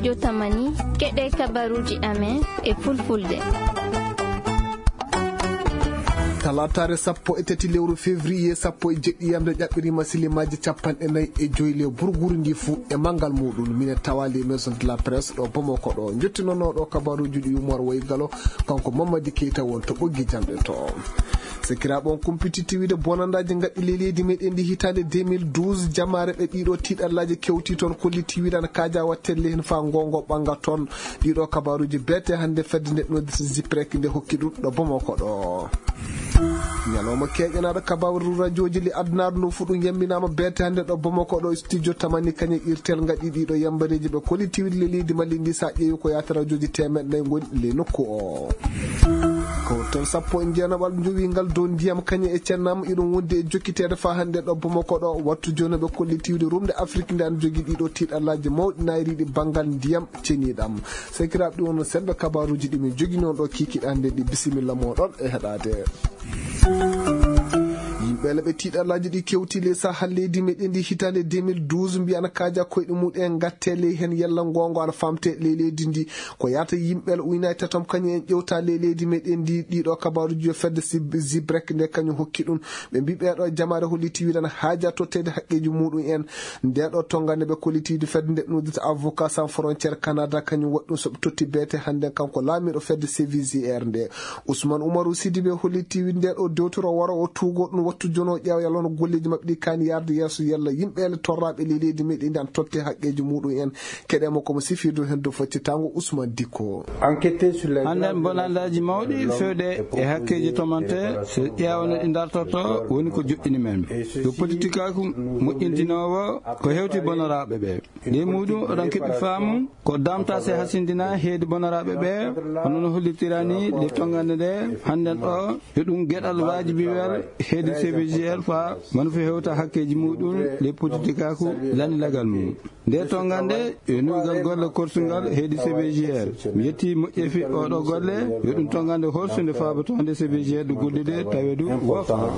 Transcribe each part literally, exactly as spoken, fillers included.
Jotamani, keɗe kabaruuji amen e fulfulde. Talaataare sappo e tati lewru février sappo e jeɗɗi yamde ƴaɓɓiriima silimaaji capanɗe nayi e joy le burguru ndi fuu e manngal muuɗum. Minen tawaali e maison de la presse ɗo Bamako ɗo. Njottinonooɗo kabaruuji ɗi Umar Waygalo, kanko Mamadi Keita won to ɓoggi jamɗe to. Sekiraaɓe, on kumpititti wiide bonandaaji ngaɗɗi ley leydi meɗen ndi hitaande deux mille douze, jamaare ɓe ɗiɗo tiiɗallaaji kewti toon, kolliti wiide ana kaaja wattelle heen faa ngongo ɓannga toon. Ɗiɗo kabaruuji beete hannde fedde nde noddirta Ziprek nde hokki ɗum ɗo Bamako ɗo. Ñalawma keeƴanaaɗo kabaru rajooji le adunaaru ndu fuu ɗum yamminaama beete hannde ɗo Bamako ɗo studio tamani kañe irtel ngaɗi ɗiɗo yambareeji ɓe kolliti wiide le leydi Mali ndi, so a ƴeewi ko yaata rajooji teemeɗɗe nayi ngoni le nokku o. Kawtal sappo e jeenaɓal njowiingal dow ndiyam kañe e cennam iɗum wondi e jokkiteede faa hannde ɗo Bamako ɗo. Wattu jooni ɓe kolliti wiide rumde Afrik nde ana jogii ɗiɗo tiiɗallaaji mawɗi naayriiɗi banngal ndiyam ceniiɗam. Sekiraaɓe, ɗum wonno semmbe kabaruuji ɗi min njoginoo ɗo kiikiiɗe hannde ɗi. Bisimilla mooɗon e heɗaade. Yimɓe le ɓe tiiɗallaaji ɗi kewti le saha leydi meɗen ndi hitaande deux mille douze mbiya ana kaaja koyɗe muɗum en ngatte ley heen yalla ngoongo ana famte ley leydi ndi. Ko yaata yimɓe le uynaay tatom kañum en ƴewta ley leydi meɗen ndi. Ɗiɗo kabaruuji yo fedde Sib-, Zibrek nde kañum hokki ɗum. Ɓe mbi ɓeeɗo jamaare holliti wiide ana haaja totteede haqqeeji muɗum en. Nde ɗo tongande ɓe kolliti wiide fedde nde noddirta Avocat Sans Frontière Canada kañum waɗi ɗum so ɓe totti beete hannde kanko laamiiɗo fedde C V G R nde. Ousmane Oumarou Sidibé holliti wiide nde ɗo dewtoro waro o tuugo ɗum wattu jono ƴeewa yalla hono golleeji maɓɓe ɗi kaani yarde yeeso yalla yimɓe le torraaɓe ley leydi meɗen ndi ana totte haqqeeji muɗum en. Keɗe mo komo sifirdu heen dow faccitango Ousmane Dikko. Hannden bonandaaji mawɗi fewde e hakkeeji tomante, so ƴeewa no ɗi ndartorto, woni ko joɗɗini men. Yo politikaaku moƴƴintinoowo ko hewti bonoraaɓe ɓe. Ley muɗum oɗon keɓi faamu ko damta se hasindina heedi bonoraaɓe ɓe, hono no hollitirani le tongande nde hannden ɗo, yo ɗum geɗal waajibiwel heedi C V G R faa wano fo hewta hakkeeji muɗum ley politikaaku lanndinagal mum. Nde tongande yo nuygal golle korsungal heedi C V G R. Mi yetti moƴƴeefi oɗo golle, yo ɗum tongande horsunde faabotoonde C V G R ɗo gollude taweedu woofa.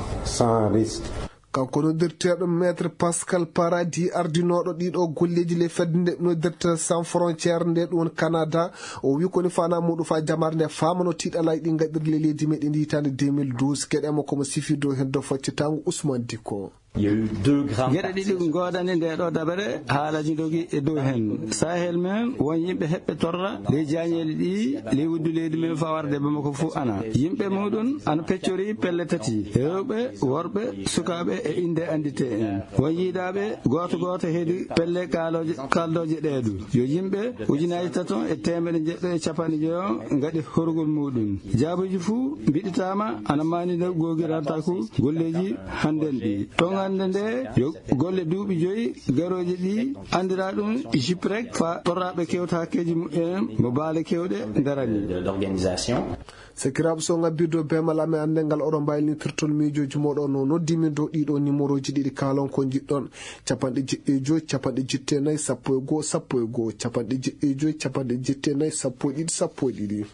Kanko noddirteeɗo Maître Pascal Paradis, ardinooɗo ɗiɗo golleeji ley fedde nde noddirta Sans Frontière nde ɗum woni Canada, o wi koni fana muɗum faa jamaare nde faamano tiiɗalaaji ɗi ngaɗiri ley leydi meɗen ndi hitaande deux mille douze. Keɗe mo komo sifirdu heen dow faccitango Ousmane Dikko. Geɗe ɗiɗi ngoodani nde ɗo dabere haalaji dogi e dow heen. Sahel men won yimɓe heɓɓe torra ley jaañeeli ɗi ley wuddu leydi men faa warde Bamako fuu ana. Yimɓe muɗum ana peccori pelle tati, rewɓe, worɓe, sukaaɓe e innde anndite en. Won yiidaaɓe gooto gooto heedi pelle kaalooje, kaldooje ɗee du. Yo yimɓe ujunaaji taton e teemeɗe jeɗɗo e capanɗe joyo ngaɗi horugol muɗum. Jaabuuji fuu mbiɗitaama ana maanina googirantaaku golleeji hannden ɗi. Tongande nde yo golle duuɓi joyi garooji ɗi anndiraa ɗum Jiprek faa torraaɓe kewta hakkeeji mumen mo baale kewɗe ndarani. Sakiraaɓe, so ngabbirɗo beemal amen annde ngal, oɗon mbaawi nittirtol miijooji mooɗon no noddi min dow ɗiɗo nimorooji ɗiɗi kaalon ko njiɗɗon. Capanɗe jeɗɗi e joy, capanɗe jeɗɗi e nayi, sappo e goo, sappo e goo, capanɗe jeɗɗi e joy, capanɗe jeɗɗi e nayi, sappo e ɗiɗi, sappo e ɗiɗi.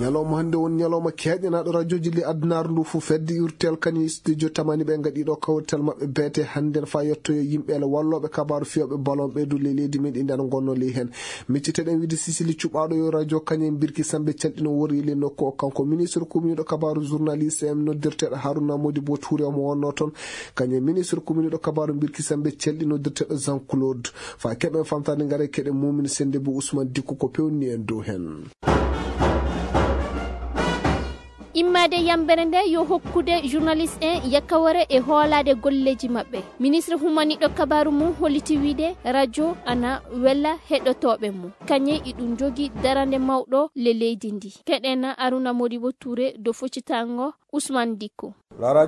Ñalawma hannde won ñalawma keeƴanaaɗo rajooji le adunaaru ndu fof. Fedde Urtel kani studio tamani ɓe ngaɗi ɗo kawrital maɓɓe beete hannden faa yettoyo yimɓe ele wallooɓe kabaaru fiyooɓe ballon ɓe du le leydi men ɗi nden ngonnoo ley heen. Micciteɗen wiide Sisili cuɓaaɗo yo rajo kañum e Birki Sambe Calɗi no worri le nokku o. Kanko ministre kuminiiɗo kabaaru journaliste en noddirteeɗo Haruna Modibo Touré omo wonnoo toon. Kañum e ministre kuminiiɗo kabaaru Birki Sambe Calɗi noddirteeɗo Jean Claude. Faa keɓen famtaade ngare keɗen Mumin Sende bu Ousmane Dikko ko pewni en dow heen. Immaade yambere nde yo hokkude journaliste en yakkawore e hoolaade golleeji maɓɓe. Ministre humaniiɗo kabaaru mum holliti wiide rajo ana wela heɗotooɓe mum. Kañum iɗum jogii darande mawɗo le leydi ndi. Keɗen Aruna Modibo Touré do foccitango Ousmane Dikko. Hara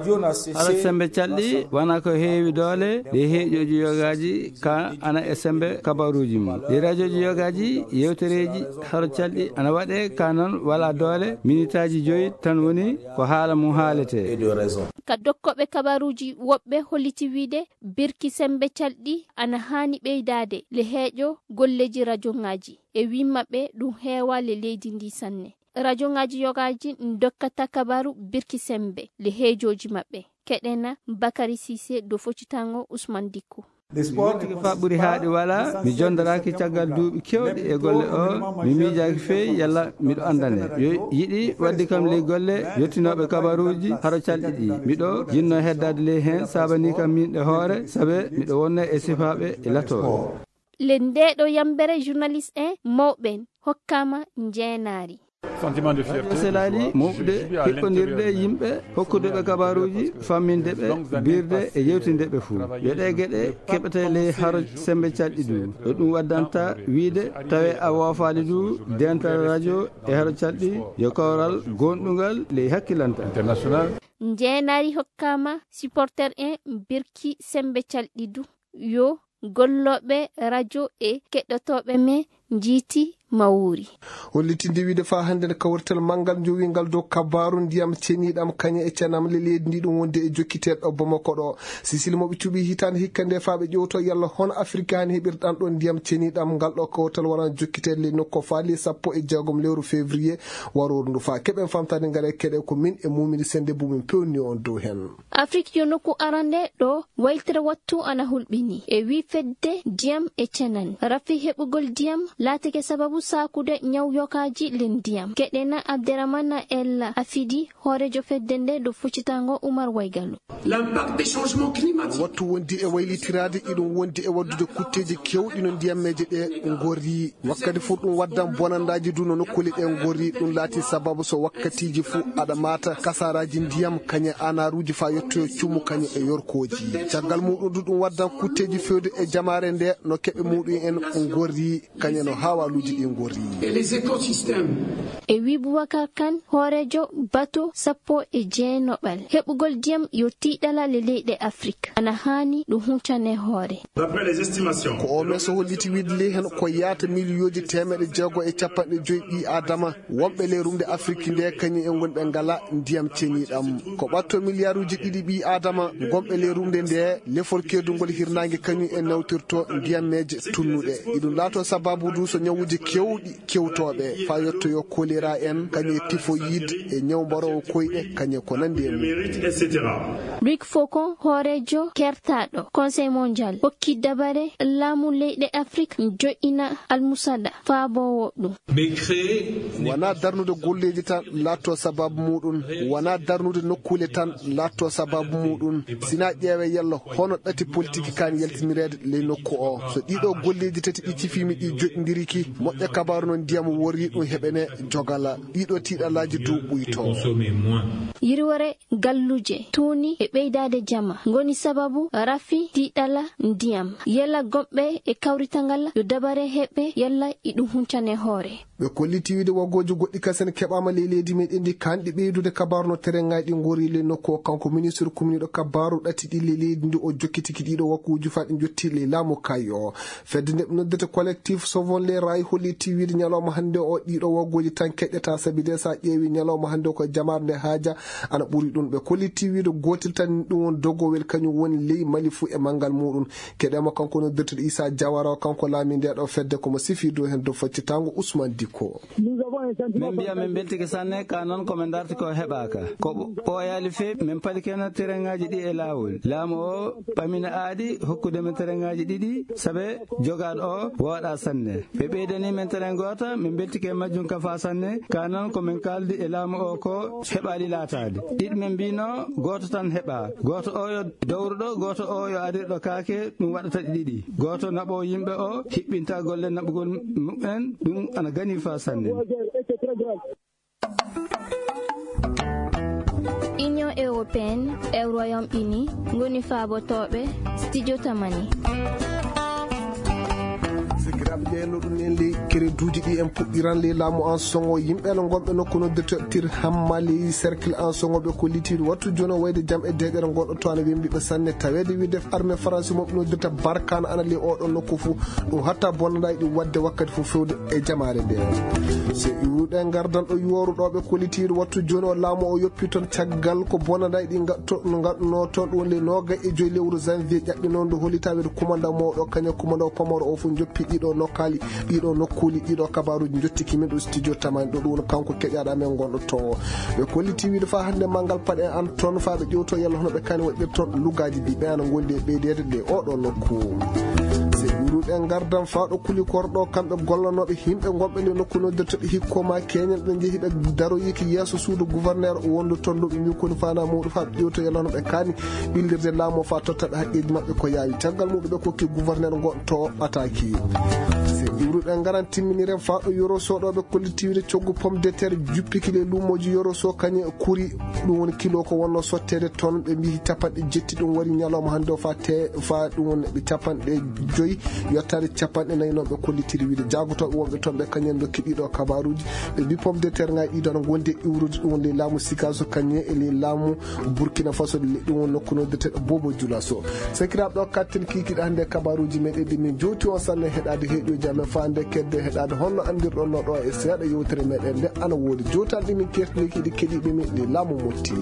sembe calɗi wona ko heewi doole ɗe heeƴooji yogaaji ka ana e sembe kabaruuji mum. Ɗi rajooji yogaaji yewtereeji hara calɗi ana waɗe ka noon wala doole, minitaaji joyi tan woni ko haala mum haaletee. Ka dokkooɓe kabaruuji woɓɓe holliti wiide birki sembe calɗi ana haani ɓeydaade le heeƴo golleeji rajoŋaaji. E wii maɓɓe ɗum heewa le leydi ndi sanne. Rajoŋaaji yogaaji dokkata kabaaru birki sembe le heejooji maɓɓe. Keɗena Bakari Sise do foccitango Usman Dikko. Yonti ko fa ɓuri haaɗi wala, mi jondoraaki caggal duuɓi kewɗi e golle o, mi miijaaki fey yalla miɗo anndane. Yo yiɗi waddi kam ley golle, yottinooɓe kabaruuji, haro calɗi ɗi. Miɗo jinno heddaade ley heen, saabanii kam miin ɗe hoore, sabe miɗo wonna e sifaaɓe e latooɓe. Le ndeɗo yambere journaliste en mawɓen hokkama njeenaari. Sentiment de fierté. Selaali mawɓe heɓɓondirde e yimɓe, hokkude ɓe kabaruuji, famminde ɓe, birde e yewtinde ɓe fuu. Yo ɗe geɗe keɓete ley haro sembe calɗi du. Ɗo ɗum waddanta wiide, tawe a woofaali du, dental radio e haro calɗi, yo kawral gondungal ley hakkilanta. International. Njeenaari hokkama supporter en birki sembe calɗi du. Yo gollooɓe radio e keɗotooɓe men njiiti mawri. Hollitinde wiide faa hannde ne kawrital manngal njowingal dow kabaaru ndiyam ceniiɗam kañe e cenam le leydi ndi ɗum wonde e jokkiteeɗo Bamako ɗo. Sisil mo ɓe cuɓi hitaande hikka nde faa ɓe ƴewto yalla hono Afirka hani heɓirɗan ɗo ndiyam ceniiɗam ngal ɗo kawrital waran jokkiteede le nokko faali sappo e jeegom lewru février waroru ndu faa keɓen famtaade ngare keɗe ko min e mumini sende bumin pewni on dow hen. Afrik yo nokku arande ɗo waylitere wattu ana hulɓini. E wi fedde ndiyam e cenan. Rafi heɓugol ndiyam laatike sababu saakude ñaw yokaaji len ndiyam. Keɗena Abderrahmane Ella Afidi, hoorejo fedde nde ɗo fuccitango Umar Waygalu. L'impact des changements climatiques. Wattu wondi e waylitiraade, iɗum wondi e waddude kutteeji kewɗi no ndiyammeeje ɗe ngorri. Wakkati fof ɗum waddan bonandaaji du no nokkuuli ɗe ngorri. Ɗum laati sababu so wakkatiiji fof aɗa maata kasaaraaji ndiyam, kañe anaaruuji faa yettoyo cumu kañe e yorkooji. Caggal muɗum du ɗum waddan kutteeji fewde e jamaare nde no keɓe muɗum en ngorri, kañe no haawaaluuji ɗi ngorri. Et les écosystèmes. E wi Boubacar Kane, hoorejo bato sappo e jeenaɓal. Heɓugol ndiyam yo tiiɗalal e leyɗe Afrik. Ana haani ɗum huncane hoore. D'après les estimations. Ko o meso holliti wiide ley hen ko yaata miliyooji teemeɗe jeego e capanɗe joyi ɓii Aadama wonɓe ley rumde Afrik nde kañum en ngoni ɓe ngala ndiyam ceniiɗam. Ko ɓatto miliyaaruuji ɗiɗi ɓii Aadama ngonɓe ley rumde nde lefol keedungol hirnaange kañum en nawtirto ndiyammeeje tunnuɗe. Iɗum laato sababu du so ñawuuji kewɗi kewtooɓe, faa yettoyo kolera en, kañum e tifoyid e ñaw mbaroowo koyɗe, kañum e ko nanndi e mum. Luc Faucon, hooreejo kertaaɗo Conseil Mondial, hokki dabare laamu leyɗe Afrik joƴƴina almusaɗa faaboowo ɗum. Wonaa darnude golleeji tan laatto sababu muɗum, wonaa darnude nokkuule tan laatto sababu muɗum, sinaa ƴeewe yalla hono ɗati politiki kaan yaltinireede ley nokku o. So ɗiɗo golleeji tati ɗi cifiimi ɗi joɗndiriki, moƴƴa kabaaru no ndiyam worri ɗum heɓene jogala. Ɗiɗo tiiɗalaaji du ɓuyto. Yirwere galluje tuuni e ɓeydaade jama ngoni sababu rafi tiiɗala ndiyam. Yalla gomɓe e kawritangal yo dabare heɓe yalla iɗum huncane hoore. Ɓe kolliti wiide waggooji goɗɗi kasen keɓaama ley leydi meɗen ndi kanɗi ɓeydude kabaaru no terengaaji ɗi ngori ley nokku o. Kanko ministre kumniiɗo kabaaru ɗati ɗi ley leydi ndi o jokkitiki ɗiɗo wakkuuji faa ɗi jotti ley laamu kayo. Fedde nde ɓe noddata collectif Sauvons les Rails holliti wiide ñalawma hannde o ɗiɗo waggooji tan keƴƴata sabi de sa ƴeewi ñalawma hannde o ko jamaare nde haaja ana ɓuri ɗum. Ɓe kolliti wiide gootel tan ɗum won dogowel kañum woni ley Mali fuu e manngal muɗum. Keɗema kanko noddirteɗo Issa Diawara o, kanko laami nde ɗo fedde, komo sifi dow hen dow faccitango Ousmane Dicko. Min mbiya min beltike sanne, ka noon ko min darti ko heɓaaka. Ko ɓooyaali feewi, min palike no terengaaji ɗi e laawol. Laamu o ɓamina aadi hokkude min terengaaji ɗiɗi, sabe jogaaɗo o wooɗa sanne. Ɓe ɓeydani min terrain gooto, min beltike e majjum kafa sanne. Ka noon ko min kaaldi e laamu o ko heɓaali laataade. Ɗiɗi min mbino gooto tan heɓa. Gooto o yo dowruɗo, gooto o yo arirɗo kaake, ɗum waɗata ɗi ɗiɗi. Gooto naɓo yimɓe o hiɓɓinta golle naɓugol mumen, ɗum ana gani fa sanne. Union européenne e Royaume Uni ngoni faabotooɓe studio Tamani. Sikiraaɓe ɓe no ɗum en ley kereduuji ɗi en puɗɗiran ley laamu an songo yimɓe no gonɓe nokku noddirte tir hamma ley cercle an songo ɓe ko litiiɗo wattu jono wayde jam e deeƴere ngon ɗo to ana wembiɓe sanne taweede wiide armée France mo ɓe noddirta barkana ana ley oɗon nokku fuu. Ɗum hatta bonnanɗaa ɗi waɗde wakkati fof fewde e jamaare nde. So iwruɗe ngardan ɗo yooruɗooɓe kollitiiɗo wattu jooni o laamu o yoppi toon caggal ko bonnanɗaa ɗi ngatto no ngatno toon ɗum woni le noogay e joyi lewru janvier ƴaɓɓinoo ndu hollitaa wiyde kumandaw mawɗo kañum kumandaw pamaro o fof joppi ɗiɗo Ɗo kaali ɗiɗo nokkuuli, ɗiɗo kabaruuji njottiki min ɗo studio tamani ɗo, ɗum woni kanko keƴaaɗo amen gonɗo towo. Ɓe kolliti wiide fa hannde manngal paɗe an toon fa ɓe ƴewto yalla hono ɓe kani waɗirton lugaaji ɗi ɓe ana ngondi e ɓeydeede ɗe oɗo nokku. Se ɓuruɗe ngardan fa ɗo kuli korɗo kamɓe gollanooɓe himɓe gonɓe nde nokku noddirteɓe hikko ma keñen ɓe njehi ɓe daroyiki yeeso suudu gouverneur wondu toon ɗo ɓe mbi koni fana muɗum fa ɓe ƴewto yalla hono ɓe kani ɓillirde laamu o fa tottaɓe haqqeeji maɓɓe ko yaawi. Caggal muɗum ɓe kokki gouverneur ngo to ɓataaki. Se iwruɗen ngaran timminiren fa ɗo Yoro Sow ɗo ɓe kollitiwde coggu pomme de terre juppiki le luumoji Yoro Sow kañe kuri. Ɗum woni kilo ko wonno sotteede ton ɓe mbiyi capanɗe jetti ɗum wari ñalawma hannde o fa te fa ɗum woni ɓe capanɗe joyi yottaade capanɗe nayi noon ɓe kollitiri wiide jaagotooɓe wonɓe toon ɓe kañen dokki ɗiɗo kabaruuji. Ɓe mbi pomme de terre ngaji ɗiɗo ana ngondi e iwrude ɗum woni ley laamu Sikaso kañe e ley laamu Burkina Faso ɗum woni nokku noddirteɗo Bobo Julaso. Sakiraaɓe ɗo katten kiikiɗe hannde kabaruuji meɗen ɗi min jowti on sanne heɗaade heɗoji amen fa nde kedde heɗaade honno anndirɗon no ɗo e seeɗa yewtere meɗen nde ana woodi jowtal ɗi min kertini kiɗi keɗiɓe min ɗi laamu motti.